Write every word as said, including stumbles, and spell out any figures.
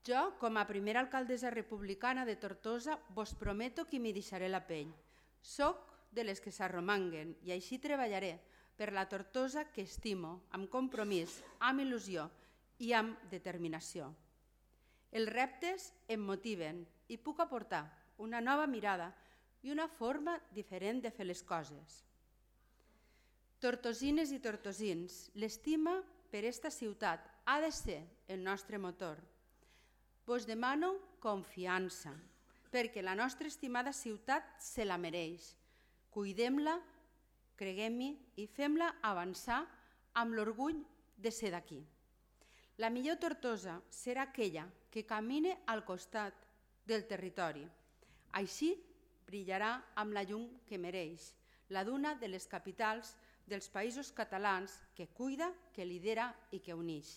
Jo, com a primera alcaldessa republicana de Tortosa, vos prometo que m'hi deixaré la pell. Soc de les que s'arromanguen i així treballaré per la Tortosa que estimo, amb compromís, amb il·lusió i amb determinació. Els reptes em motiven i puc aportar una nova mirada i una forma diferent de fer les coses. Tortosines i tortosins, l'estima per esta ciutat ha de ser el nostre motor. Vos demano confiança, perquè la nostra estimada ciutat se la mereix. Cuidem-la, creguem-hi i fem-la avançar amb l'orgull de ser d'aquí. La millor Tortosa serà aquella que camine al costat del territori. Així brillarà amb la llum que mereix, la d'una de les capitals dels països catalans que cuida, que lidera i que uneix.